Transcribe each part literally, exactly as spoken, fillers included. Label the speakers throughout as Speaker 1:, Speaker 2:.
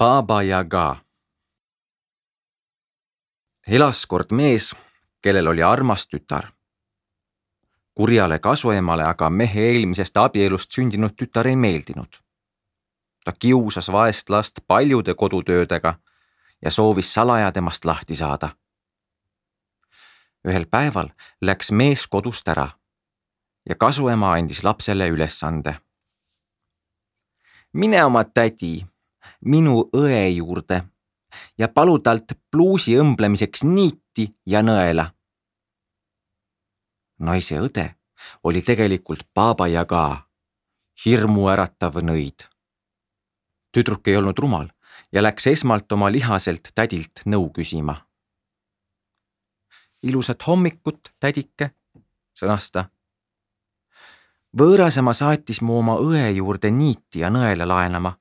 Speaker 1: Baba Yaga. Elas kord mees, kellel oli armas tütar. Kurjale kasuemale aga mehe eelmisest abielust sündinud tütar ei meeldinud. Ta kiusas vaest last paljude kodutöödega ja soovis salaja temast lahti saada. Ühel päeval läks mees kodust ära ja kasuema andis lapsele ülesande. Mine oma tädi, minu õe juurde ja palu talt pluusi õmblemiseks niiti ja nõela. Naise õde oli tegelikult Baba Yaga, hirmu äratav nõid. Tüdruk ei olnud rumal ja läks esmalt oma lihaselt tädilt nõu küsima. Ilusat hommikut, tädike, sõnas ta. Võõrasema saatis mu oma õe juurde niiti ja nõela laenama,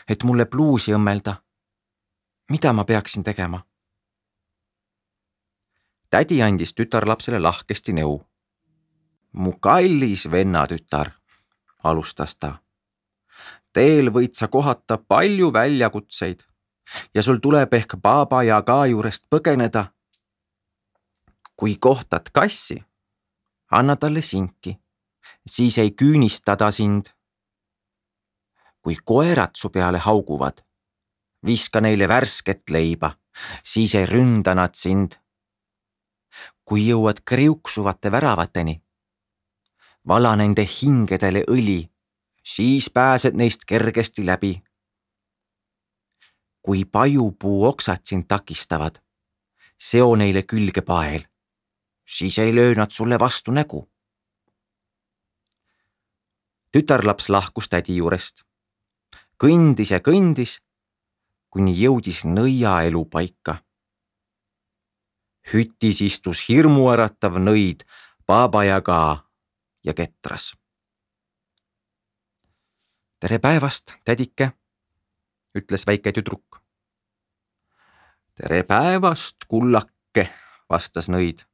Speaker 1: et mulle pluusi õmmelda. Mida ma peaksin tegema? Tädi andis tütarlapsele lahkesti nõu. Mu kallis venna tütar, alustas ta. Teel võid sa kohata palju väljakutseid ja sul tuleb ehk Baba Yaga juurest põgeneda. Kui kohtad kassi, anna talle sinki, siis ei küünista ta sind. Kui koerad su peale hauguvad, viska neile värsket leiba, siis ei ründa nad sind. Kui jõuad kriuksuvate väravateni, vala nende hingedele õli, siis pääsed neist kergesti läbi. Kui pajupuu oksad sind takistavad, seo neile külge pael, siis ei löö nad sulle vastu nägu. Tütarlaps lahkus tädi juurest. Kõndis ja kõndis, kuni jõudis nõia elupaika. Hüttis istus hirmuäratav nõid Baba Yaga ja ketras. Tere päevast, tädike, ütles väike tüdruk. Tere päevast, kullake, vastas nõid.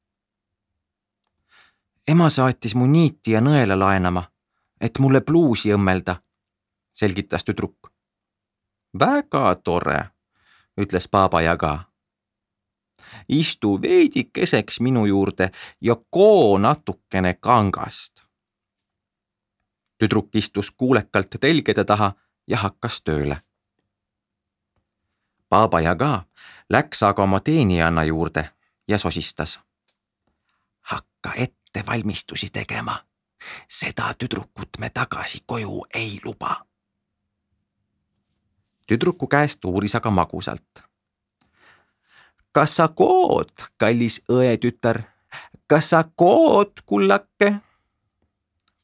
Speaker 1: Ema saatis mu niiti ja nõela laenama, et mulle pluusi õmmelda, selgitas tüdruk. Väga tore, ütles Baba Yaga. Istu veidikeseks minu juurde ja koo natukene kangast. Tüdruk istus kuulekalt telgede taha ja hakkas tööle. Baba Yaga läks aga oma teenijanna juurde ja sosistas. Hakka ette valmistusi tegema. Seda tüdrukut me tagasi koju ei luba. Tüdruku käest uuris aga magusalt. Kas sa kood, kallis õe tütar? Kas sa kood, kullake?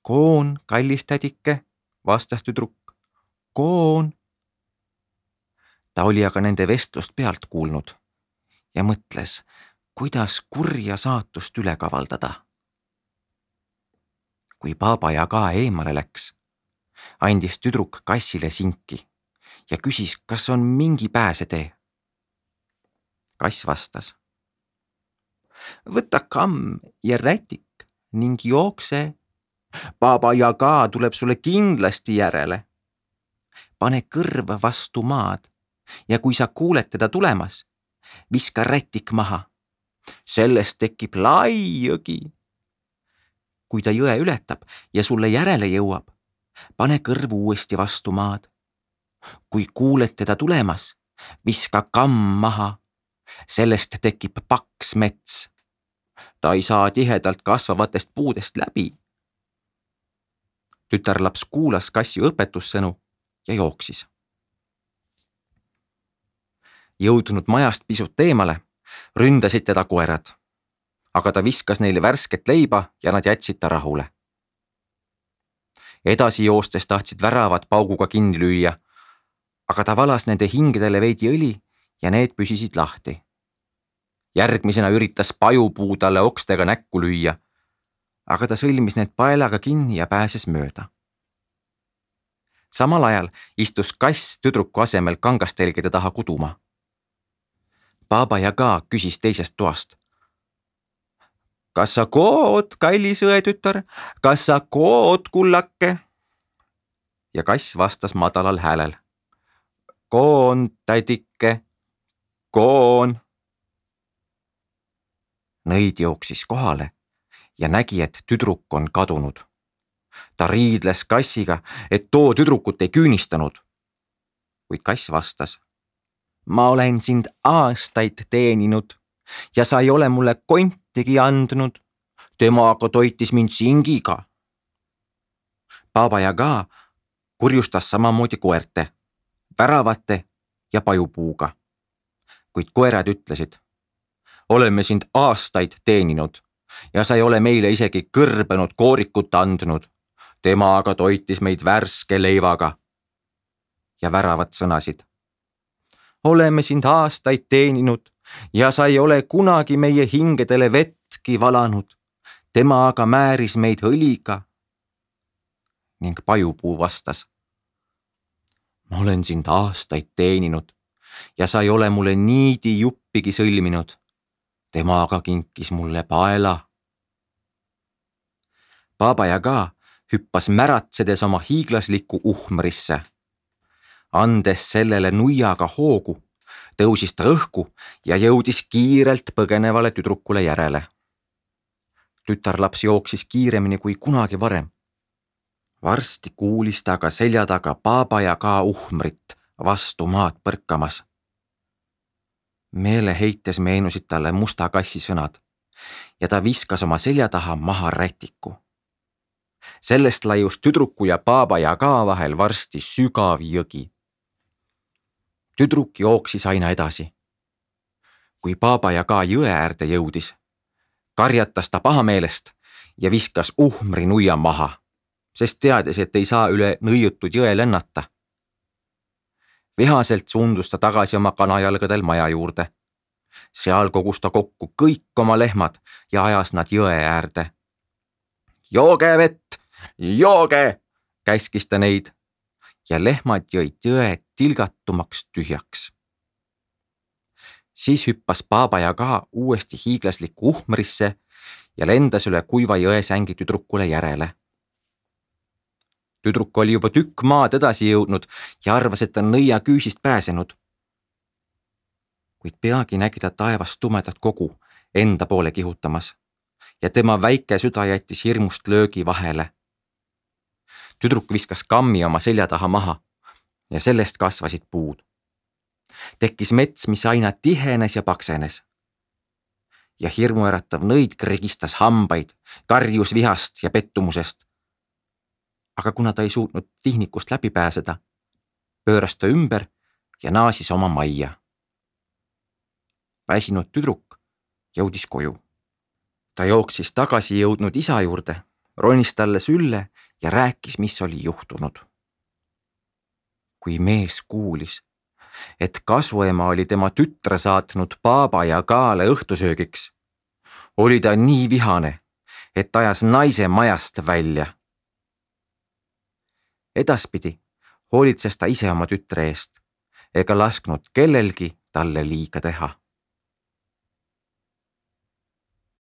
Speaker 1: Koon, kallis tädike, vastas tüdruk. Koon. Ta oli aga nende vestlust pealt kuulnud ja mõtles, kuidas kurja saatust üle kavaldada. Kui Baba Yaga eemale läks, andis tüdruk kassile sinki ja küsis, kas on mingi pääsetee. Kass vastas. Võta kamm ja rätik ning jookse. Baba Yaga tuleb sulle kindlasti järele. Pane kõrv vastu maad ja kui sa kuuled teda tulemas, viska rätik maha. Sellest tekib lai jõgi. Kui ta jõe ületab ja sulle järele jõuab, pane kõrv uuesti vastu maad. Kui kuuled teda tulemas, viska kamm maha. Sellest tekib paks mets. Ta ei saa tihedalt kasvavatest puudest läbi. Tütarlaps kuulas kassi õpetussõnu ja jooksis. Jõudnud majast pisut eemale, ründasid teda koerad, aga ta viskas neile värsket leiba ja nad jätsid ta rahule. Edasi joostes tahtsid väravad pauguga kinni lüüa, aga ta valas nende hingedele veidi õli ja need püsisid lahti. Järgmisena üritas pajupuu talle okstega näkku lüüa, aga ta sõlmis need paelaga kinni ja pääses mööda. Samal ajal istus kass tüdruku asemel kangastelgede taha kuduma. Baba Yaga küsis teisest toast. Kas sa kood, kallis õe tütar? Kas sa kood, kullake? Ja kass vastas madalal häälel. Koon, tädike, koon. Nõid jooksis kohale ja nägi, et tüdruk on kadunud. Ta riidles kassiga, et too tüdrukut ei küünistanud. Kuid kass vastas: ma olen sind aastaid teeninud ja sa ei ole mulle kontigi andnud. Tema aga toitis mind singiga. Baba Yaga kurjustas samamoodi koerte, väravate ja pajupuuga. Kuid koerad ütlesid: oleme sind aastaid teeninud ja sa ei ole meile isegi kõrbenud koorikut andnud. Tema aga toitis meid värske leivaga. Ja väravad sõnasid: oleme sind aastaid teeninud ja sa ei ole kunagi meie hingedele vettki valanud. Tema aga määris meid õliga. Ning pajupuu vastas: ma olen sind aastaid teeninud ja sa ei ole mulle niidi juppigi sõlminud. Tema aga kinkis mulle paela. Baba Yaga hüppas märatsedes oma hiiglaslikku uhmrisse. Andes sellele nuiaga hoogu, tõusis ta õhku ja jõudis kiirelt põgenevale tüdrukule järele. Tütarlaps jooksis kiiremini kui kunagi varem. Varsti kuulis ta aga selja taga Baba Yaga uhmrit vastu maad põrkamas. Meeleheites meenusid talle musta kassi sõnad ja ta viskas oma selja taha maha rätiku. Sellest laius tüdruku ja Baba Yaga vahel varsti sügav jõgi. Tüdruk jooksis aina edasi. Kui Baba Yaga jõe äärde jõudis, karjatas ta pahameelest ja viskas uhmri nuia maha, sest teadis, et ei saa üle nõiutud jõe lennata. Vihaselt suundus ta tagasi oma kanajalgadel maja juurde. Seal kogus ta kokku kõik oma lehmad ja ajas nad jõe äärde. Jooge vett, jooge, käskis ta neid ja lehmad jõid jõe tilgatumaks tühjaks. Siis hüppas Baba Yaga uuesti hiiglaslikku uhmrisse ja lendas üle kuiva jõesängi tüdrukule järele. Tüdruk oli juba tükk maad edasi jõudnud ja arvas, et on nõia küüsist pääsenud. Kuid peagi nägi ta taevast tumedat kogu enda poole kihutamas ja tema väike süda jättis hirmust löögi vahele. Tüdruk viskas kammi oma selja taha maha ja sellest kasvasid puud. Tekkis mets, mis aina tihenes ja paksenes. Ja hirmuäratav nõid krigistas hambaid, karjus vihast ja pettumusest. Aga kuna ta ei suutnud tihnikust läbi pääseda, pööras ta ümber ja naasis oma majja. Väsinud tüdruk jõudis koju. Ta jooksis tagasi jõudnud isa juurde, ronis talle sülle ja rääkis, mis oli juhtunud. Kui mees kuulis, et kasuema oli tema tütre saatnud Baba Yagale õhtusöögiks, oli ta nii vihane, et ajas naise majast välja. Edaspidi hoolitses ta ise oma tütre eest ega lasknud kellelgi talle liiga teha.